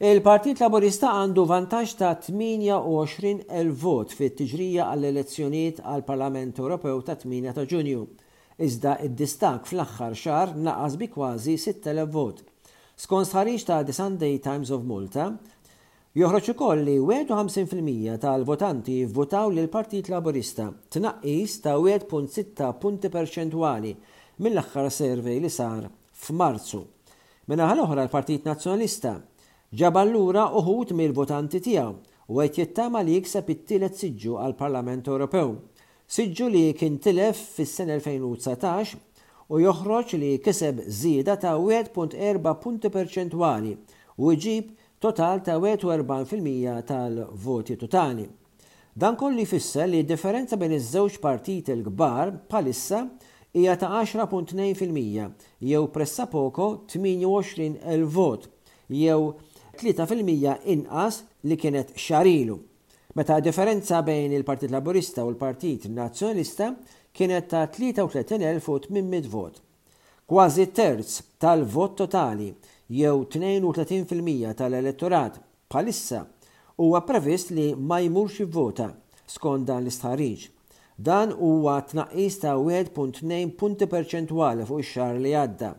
Il-Partit Laburista għandu vantaġġ ta' 28,000 vot fit-tiġrija għall-elezzjonijiet għall-Parlament Ewropew tat-8 ta' Ġunju, iżda d-distakk fl-aħħar xahar naqas bi kważi 6,000 vot. Skont stħarriġ ta' The Sunday Times of Malta, joħroġ ukoll li 51% tal-votanti vvutaw lill-Partit Laburista, tnaqqis ta' 1.6 punti perċentwali mill-aħħar survey li sar f'Marzu. Min-naħa l-oħra l-Partit Nazzjonalista ġabar lura uħud mill-votanti tiegħu u qed jittama li jikseb it-tielet siġġu għall-Parlament Ewropew. Siġġu li kien tilef fis-sena 2019 u joħroġ li kiseb żieda ta' 1.4 punti perċentwali u jġib total ta' 41% tal-voti totali. Dan kollu jfisser li d-differenza bejn iż-żewġ partiti l-kbar bħalissa hija ta' 10.2% jew pressapoko 28,000 vot jew 3% inqas li kienet xahar ilu, meta d-differenza bejn il-Partit Laburista u l-Partit Nazzjonalista kienet ta' 33,800 vot. Kważi terz tal-vot totali jew 32% tal-elettorat bħalissa huwa previst li ma jmurx jivvota, skont dan l-istħarriġ. Dan huwa tnaqqis ta' 1.2 punti perċentwali fuq ix-xahar li għadda,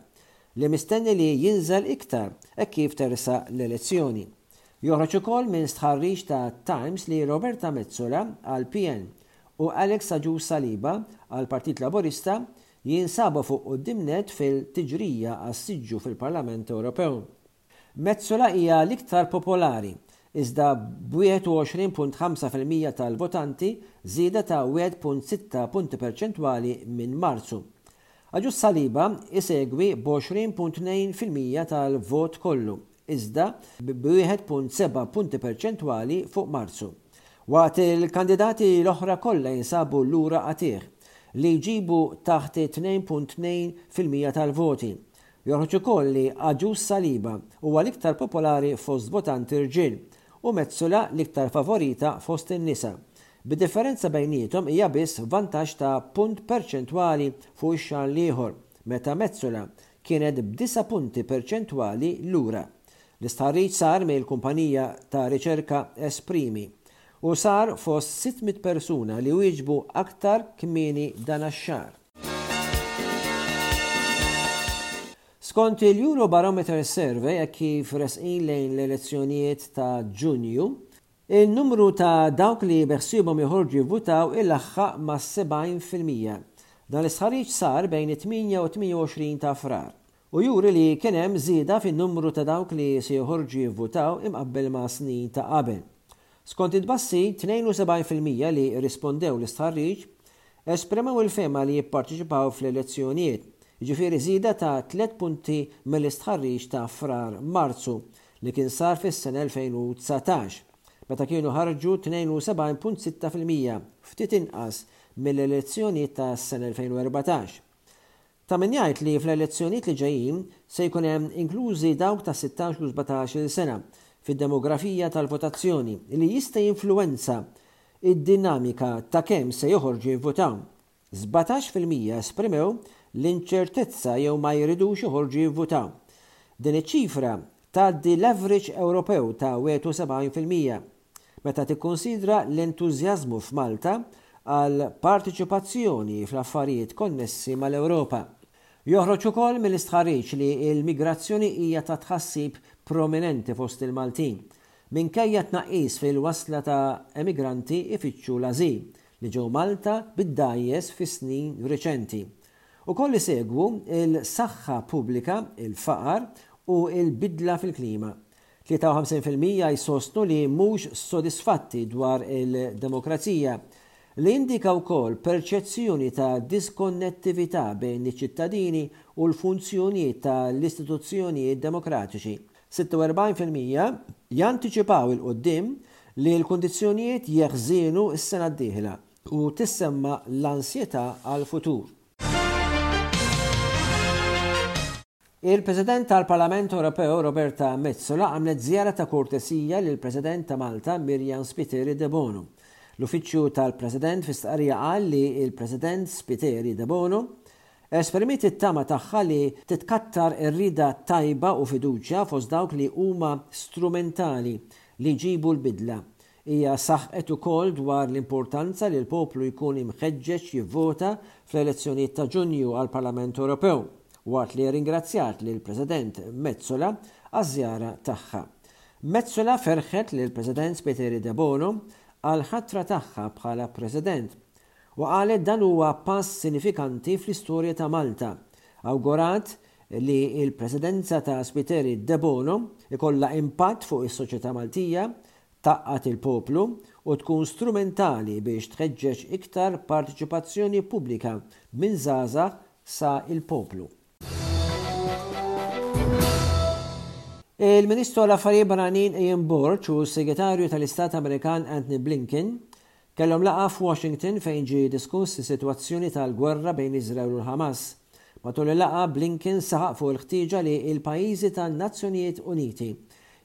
li mistenni li jinżel iktar hekk kif tersaq l-elezzjoni. Joħroġ ukoll minn stħarriġ ta' Times li Roberta Metsola għall-PN u Alex Agius Saliba għall-Partit Laburista jinsabu fuq quddiem nett fil-tiġrija għas-siġġu fil-Parlament Ewropew. Metsola hija l-iktar popolari, iżda b'21.5% tal-votanti, żieda ta' 1.6 punti perċentwali minn Marzu. Agius Saliba isegwi b'20.2% tal-vot kollu, iżda b'1.7 punti perċentwali fuq Marzu. Waqt il-kandidati l-oħra kollha jinsabu lura qatigħ, li jġibu taħt it-2.2% tal-voti. Joħroġ ukoll li Agius Saliba huwa l-iktar popolari fost votanti rġiel u Metsola l-iktar favorita fost in-nisa, bid-differenza bejniethom hija biss vantaġġ ta' punt perċentwali fuq ix-xahar l-ieħor, meta Metsola kienet b'disa' punti perċentwali lura. L-istħarriġ sar mill-kumpanija ta' riċerka Esprimi u sar fost 600 persuna li wieġbu aktar kmieni dan x-xahar. Skont il-Eurobarometer Survey hekk kif resqin lejn l-elezzjonijiet ta' Ġunju, in-numru ta' dawk li beħsiebhom joħorġu jivvutaw ilaħħaq mas-70%. Dan l-istħarriġ sar bejn it-8 u t-28 ta' Frar u juri li kien hemm żieda fin-numru ta' dawk li se joħorġu jivvutaw imqabbel ma' snin ta' qabel. Skont it-tbassir, 72% li rrispondew l-istħarriġ esprimew il-fehma li jipparteċipaw fl-elezzjonijiet, jiġifieri żieda ta' tliet punti mill-istħarriġ ta' Frar-Marzu li kien sar fis-sena 2019, meta kienu ħarġu 72.6%, ftit inqas mill-elezzjonijiet tas-sena 2014. Ta' min jgħid li fl-elezzjonijiet li ġejjin se jkun hemm inklużi dawk ta' 16 u 17-il sena fid-demografija tal-votazzjoni li jista' jinfluwenza d-dinamika ta' kemm se joħorġu jivvutaw. 17% esprimew l-inċertezza jew ma jridux joħorġu jivvutaw. Din iċ-ċifra tgħaddi l-average Ewropew ta' 71%. Meta tikkunsidra l-entużjażmu f'Malta għal parteċipazzjoni fl-affarijiet konnessi mal-Ewropa. Joħroġ ukoll mill-istħarriġ li l-migrazzjoni hija ta' tħassib prominenti fost il-Maltin, minkejja tnaqqis fil-wasla ta' emigranti jfittxu l-ażil li ġew Malta bid-dgħajjes fis-snin riċenti. Ukoll isegwu l-saħħa pubblika, il-faqar u l-bidla fil-klima. 53% jsostnu li mhux sodisfatti dwar il-demokrazija, li jindika wkoll perċezzjoni ta' diskonnettività bejn iċ-ċittadini u l-funzjonijiet ta' l-istituzzjonijiet demokratiċi. 46% jantiċipaw 'il quddiem li l-kundizzjonijiet jeħżienu s-sena d-dieħla u tissemma l-ansjetà għall-futur. Il-President tal-Parlament Ewropew Roberta Metsola għamlet żjara ta' kortesija lill-President ta' Malta Myriam Spiteri Debono. L-Uffiċċju tal-President fi stqarrija qal li l-President Spiteri Debono Esprimiet it-tama tagħha li titkattar ir-rieda tajba u fiduċja fost dawk li huma strumentali li jġibu l-bidla. Hija saħqet ukoll dwar l-importanza li l-poplu jkun imħeġġeġ jivvota fl-elezzjonijiet ta' Ġunju għall-Parlament Ewropew, waqt li rringrazzjat lill-President Metsola għaż-żjara tagħha. Metsola ferħet lill-President Spiteri Debono għall-ħatra tagħha bħala President u qalet dan huwa pass sinifikanti fl-istorja ta' Malta. Awgurat li l-Presidenza ta' Spiteri Debono jkollha impatt fuq is-soċjetà Maltija, tgħaqqad il-poplu u tkun strumentali biex tħeġġeġ iktar parteċipazzjoni pubblika minn żgħażagħ sa l-poplu. Il-Ministru għall-Affarijiet Barranin Ian Borg u s-Segretarju tal-Istat Amerikan Antony Blinken kellhom laqgħa f'Washington fejn ġie diskuss is-sitwazzjoni tal-gwerra bejn Iżrael u l-Ħamas. Matul il-laqgħa, Blinken saħaq fuq il-ħtieġa li l-pajjiżi tan-Nazzjonijiet Uniti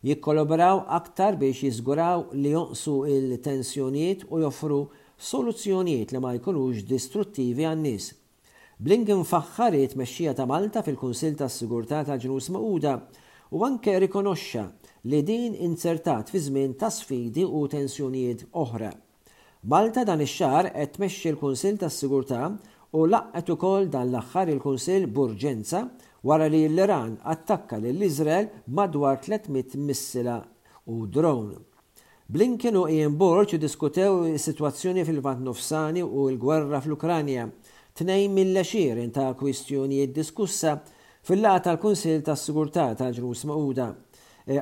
jikkollaboraw aktar biex jiżguraw li jonqsu l-tensjonijiet u joffru soluzzjonijiet li ma jkunux distruttivi għan-nies. Blinken faħħar it-tmexxija ta' Malta fil-Kunsill tas-Sigurtà tal-Ġnus Magħquda u anke rikonoxxa li din inzertat fi żmien ta' sfidi u tensjonijiet oħra. Malta dan ix-xahar qed tmexxi l-Kunsill tas-Sigurtà u laqgħet ukoll dan l-aħħar il-Kunsill b'urġenza wara li l-Iran attakka lil Iżrael b'madwar 300 missila u drone. Blinken u Ian Borg iddiskutew is-sitwazzjoni fil-Lvant Nofsani u l-gwerra fl-Ukranja, tnejn mill-għexieren ta' kwistjonijiet diskussa fil-laqgħa tal-Kunsill tas-Sigurtà tal-Ġnus Magħquda.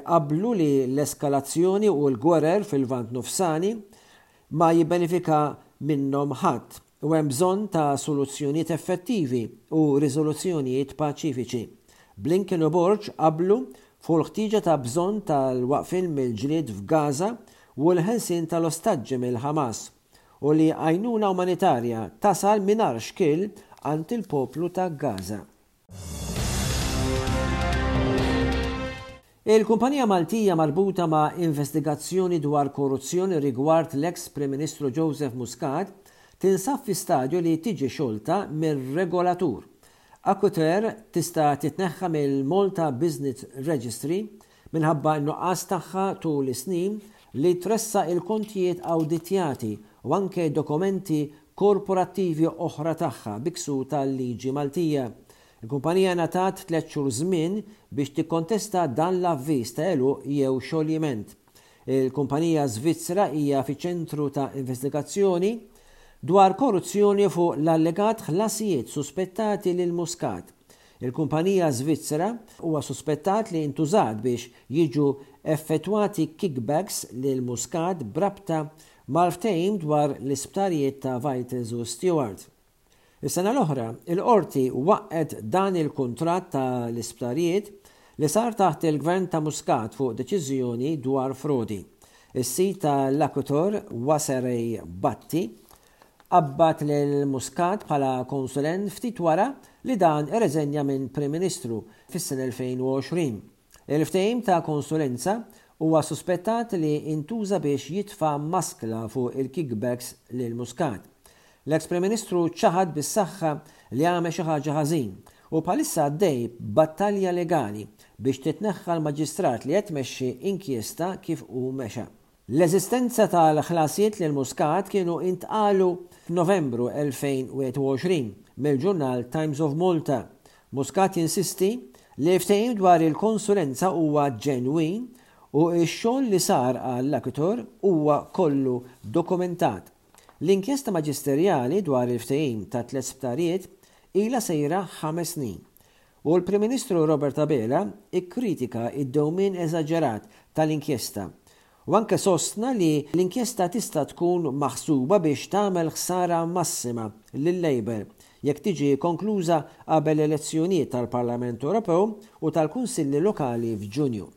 Qablu li l-eskalazzjoni u l-gwerer fil-Lvant Nofsani ma jibbenefika minnhom ħadd u hemm bżonn ta' soluzzjonijiet effettivi u riżoluzzjonijiet paċifiċi. Blinken u Borg qablu fuq il-ħtieġa ta' bżonn tal-waqfien mill-ġlied f'Gaza u l-ħelsien tal-ostaġġi mill-Ħamas u li għajnuna umanitarja tasal mingħajr xkiel għand il-poplu ta' Gaza. Il-kumpanija Maltija marbuta ma' investigazzjoni dwar korruzzjoni rigward l-eks Prim Ministru Joseph Muscat tinsab fi stadju li tiġi xolta mir-regolatur. Aquitair tista' titneħħa mill-Malta Business Registry minħabba n-nuqqas tagħha tul is-snin li tressaq il-kontijiet awditjati u anke dokumenti korporattivi oħra tagħha bi ksur tal-liġi Maltija. Il-kumpanija ngħatat tlett xhur żmien biex tikkontesta dan l-avviż ta' għeluq jew xoljiment. Il-kumpanija Svizzera hija fiċ-ċentru ta' investigazzjoni dwar korruzzjoni fuq l-allegat ħlasijiet suspettati lil Muscat. Il-kumpanija Svizzera huwa suspettat li ntużat biex jiġu effettwati kickbacks lil Muscat b'rabta mal-ftehim dwar l-isptarijiet ta' Vitals u Steward. Is-sena l-oħra, il-Qorti waqqgħet dan il-kuntratt ta' l-isptarijiet li sar taħt il-Gvern ta' Muscat fuq deċiżjoni dwar frodi. Is-sid ta' l-Aquitor, Waserey Bhatti, qabbad lil Muscat bħala konsulent ftit wara li dan irreżenja minn Prim Ministru fis-sena 2020. Il-ftehim ta' konsulenza huwa suspettat li intuża biex jitfa' maskla fuq il-kickbacks lil Muscat. L-eks Prim Ministru ċaħad bis-saħħa li għamel xi ħaġa ħażin u bħalissa għaddej b'battalja legali biex titneħħa l-Maġistrat li qed tmexxi inkjesta kif hu mexa. L-eżistenza tal-ħlasijiet lil Muscat kienu intqalu f'Novembru 2021 mill-ġurnal Times of Malta. Muscat jinsisti li l-ftehim dwar il-konsulenza huwa ġenwin u x-xogħol li sar għall-Aquitor huwa kollu dokumentat. L-inkjesta maġisterjali dwar il-ftehim tat-tlett sptarijiet ilha sejra ħames snin u l-Prim Ministru Robert Abela kkritika d-dewmien eżaġerat tal-inkjesta u anke sostna li l-inkjesta tista' tkun maħsuba biex tagħmel ħsara massima lil-Labour jekk tiġi konkluża qabel l-elezzjonijiet tal-Parlament Ewropew u tal-Kunsilli Lokali f'Ġunju.